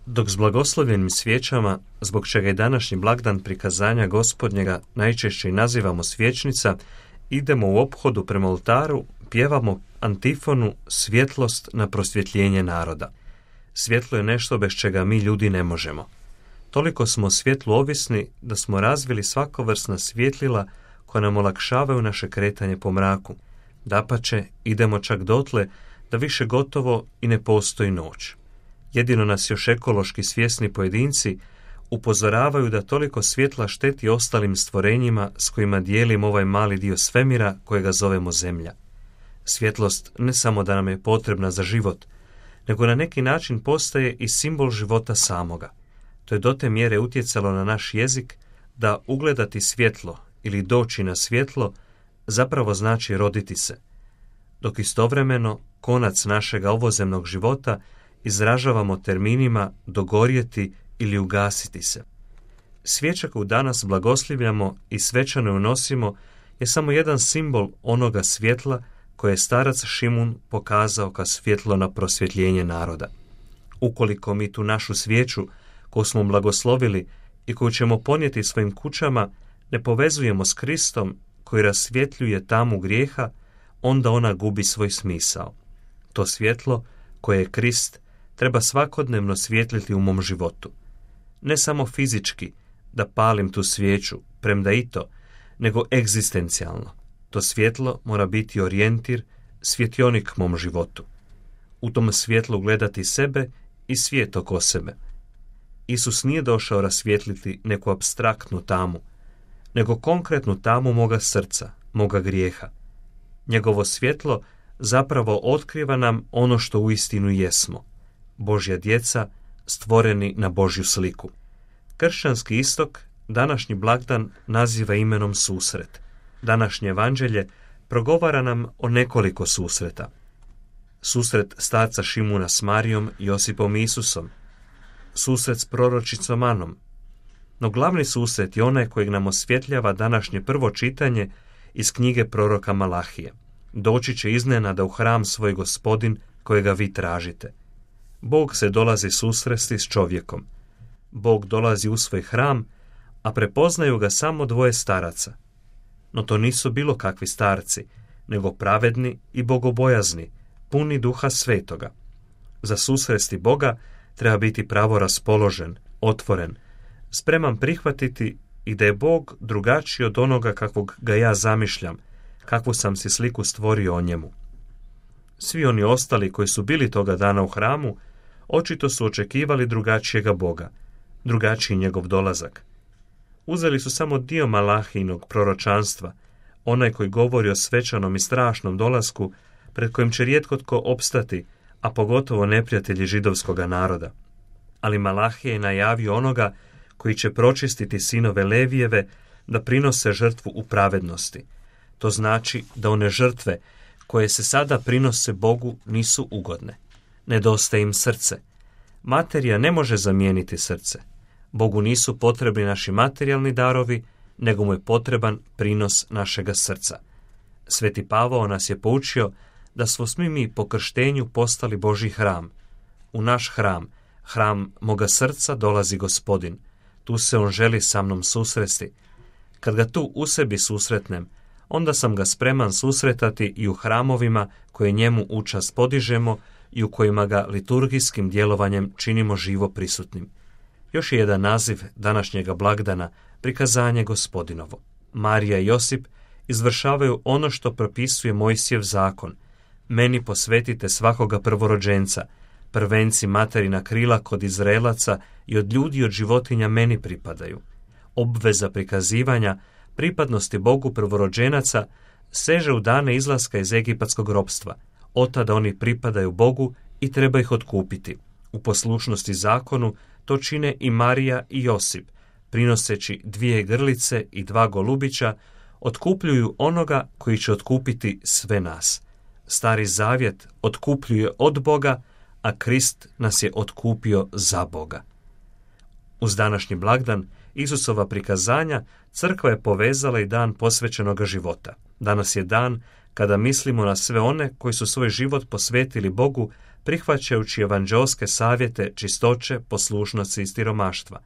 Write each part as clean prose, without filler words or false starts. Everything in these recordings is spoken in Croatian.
Dok s blagoslovljenim svijećama, zbog čega je današnji blagdan prikazanja Gospodnjega najčešće i nazivamo svječnica, idemo u ophodu prema oltaru, pjevamo antifonu svjetlost na prosvjetljenje naroda. Svjetlo je nešto bez čega mi ljudi ne možemo. Toliko smo o svjetlu ovisni da smo razvili svakovrsna svjetlila koja nam olakšavaju naše kretanje po mraku. Dapače, idemo čak dotle da više gotovo i ne postoji noć. Jedino nas još ekološki svjesni pojedinci upozoravaju da toliko svjetla šteti ostalim stvorenjima s kojima dijelimo ovaj mali dio svemira kojega zovemo Zemlja. Svjetlost ne samo da nam je potrebna za život, nego na neki način postaje i simbol života samoga. To je do te mjere utjecalo na naš jezik da ugledati svjetlo ili doći na svjetlo zapravo znači roditi se, dok istovremeno konac našega ovozemnog života izražavamo terminima dogorjeti ili ugasiti se. Svijeća koju danas blagoslivljamo i svečano unosimo je samo jedan simbol onoga svjetla koje je starac Šimun pokazao kao svjetlo na prosvjetljenje naroda. Ukoliko mi tu našu svijeću koju smo blagoslovili i koju ćemo ponijeti svojim kućama ne povezujemo s Kristom koji rasvjetljuje tamu grijeha, onda ona gubi svoj smisao. To svjetlo koje je Krist treba svakodnevno svjetliti u mom životu. Ne samo fizički da palim tu svijeću, premda i to, nego egzistencijalno. To svjetlo mora biti orijentir, svjetionik mom životu. U tom svjetlu gledati sebe i svijet oko sebe. Isus nije došao rasvjetliti neku apstraktnu tamu, nego konkretnu tamu moga srca, moga grijeha. Njegovo svjetlo zapravo otkriva nam ono što uistinu jesmo, Božja djeca stvoreni na Božju sliku. Kršćanski istok današnji blagdan naziva imenom susret. Današnje evanđelje progovara nam o nekoliko susreta. Susret starca Šimuna s Marijom, Josipom i Isusom. Susret s proročicom Anom. No glavni susret je onaj kojeg nam osvjetljava današnje prvo čitanje iz knjige proroka Malahije. Doći će iznenada u hram svoj Gospodin kojega vi tražite. Bog se dolazi susresti s čovjekom. Bog dolazi u svoj hram, a prepoznaju ga samo dvoje staraca. No to nisu bilo kakvi starci, nego pravedni i bogobojazni, puni Duha Svetoga. Za susresti Boga treba biti pravo raspoložen, otvoren, spreman prihvatiti i da je Bog drugačiji od onoga kakvog ga ja zamišljam, kakvu sam si sliku stvorio o njemu. Svi oni ostali koji su bili toga dana u hramu, očito su očekivali drugačijega Boga, drugačiji njegov dolazak. Uzeli su samo dio Malahijinog proročanstva, onaj koji govori o svečanom i strašnom dolasku pred kojim će rijetko tko opstati, a pogotovo neprijatelji židovskoga naroda. Ali Malahija je najavio onoga koji će pročistiti sinove Levijeve da prinose žrtvu u pravednosti. To znači da one žrtve koje se sada prinose Bogu nisu ugodne. Nedostaje im srce. Materija ne može zamijeniti srce. Bogu nisu potrebni naši materijalni darovi, nego mu je potreban prinos našega srca. Sveti Pavao nas je poučio da smo svi mi po krštenju postali Božji hram. U naš hram, hram moga srca, dolazi Gospodin. Tu se on želi sa mnom susresti. Kad ga tu u sebi susretnem, onda sam ga spreman susretati i u hramovima koje njemu u čast podižemo i u kojima ga liturgijskim djelovanjem činimo živo prisutnim. Još je jedan naziv današnjega blagdana, prikazanje Gospodinovo. Marija i Josip izvršavaju ono što propisuje Mojsijev zakon. Meni posvetite svakoga prvorođenca, prvenci materina krila kod Izraelaca i od ljudi i od životinja meni pripadaju. Obveza prikazivanja pripadnosti Bogu prvorođenaca seže u dane izlaska iz egipatskog ropstva. Otada oni pripadaju Bogu i treba ih otkupiti. U poslušnosti zakonu to čine i Marija i Josip, prinoseći 2 grlice i 2 golubića, otkupljuju onoga koji će otkupiti sve nas. Stari zavjet otkupljuje od Boga, a Krist nas je otkupio za Boga. Uz današnji blagdan Isusova prikazanja crkva je povezala i dan posvećenoga života. Danas je dan kada mislimo na sve one koji su svoj život posvetili Bogu prihvaćajući evanđeoske savjete čistoće, poslušnosti i stiromaštva.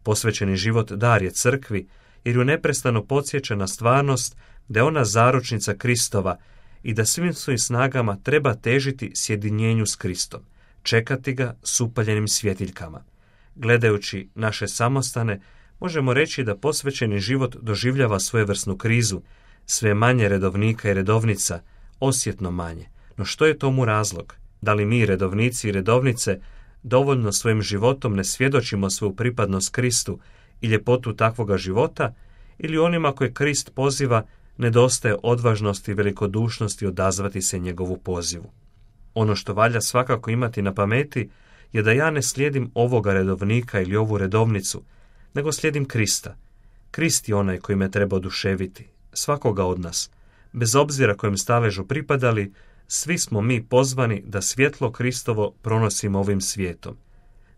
Posvećeni život dar je crkvi, jer ju neprestano podsjeća na stvarnost da je ona zaručnica Kristova i da svim svojim snagama treba težiti sjedinjenju s Kristom, čekati ga s upaljenim svjetiljkama. Gledajući naše samostane, možemo reći da posvećeni život doživljava svojevrsnu krizu, sve manje redovnika i redovnica, osjetno manje. No što je tomu razlog? Da li mi, redovnici i redovnice, dovoljno svojim životom ne svjedočimo svoju pripadnost Kristu i ljepotu takvoga života, ili onima koje Krist poziva nedostaje odvažnosti i velikodušnosti odazvati se njegovu pozivu? Ono što valja svakako imati na pameti je da ja ne slijedim ovoga redovnika ili ovu redovnicu, nego slijedim Krista. Krist je onaj koji me treba oduševiti, svakoga od nas. Bez obzira kojem staležu pripadali, svi smo mi pozvani da svjetlo Kristovo pronosimo ovim svijetom.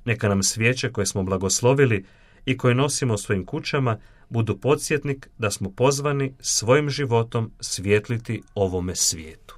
Neka nam svijeće koje smo blagoslovili i koje nosimo u svojim kućama budu podsjetnik da smo pozvani svojim životom svjetliti ovome svijetu.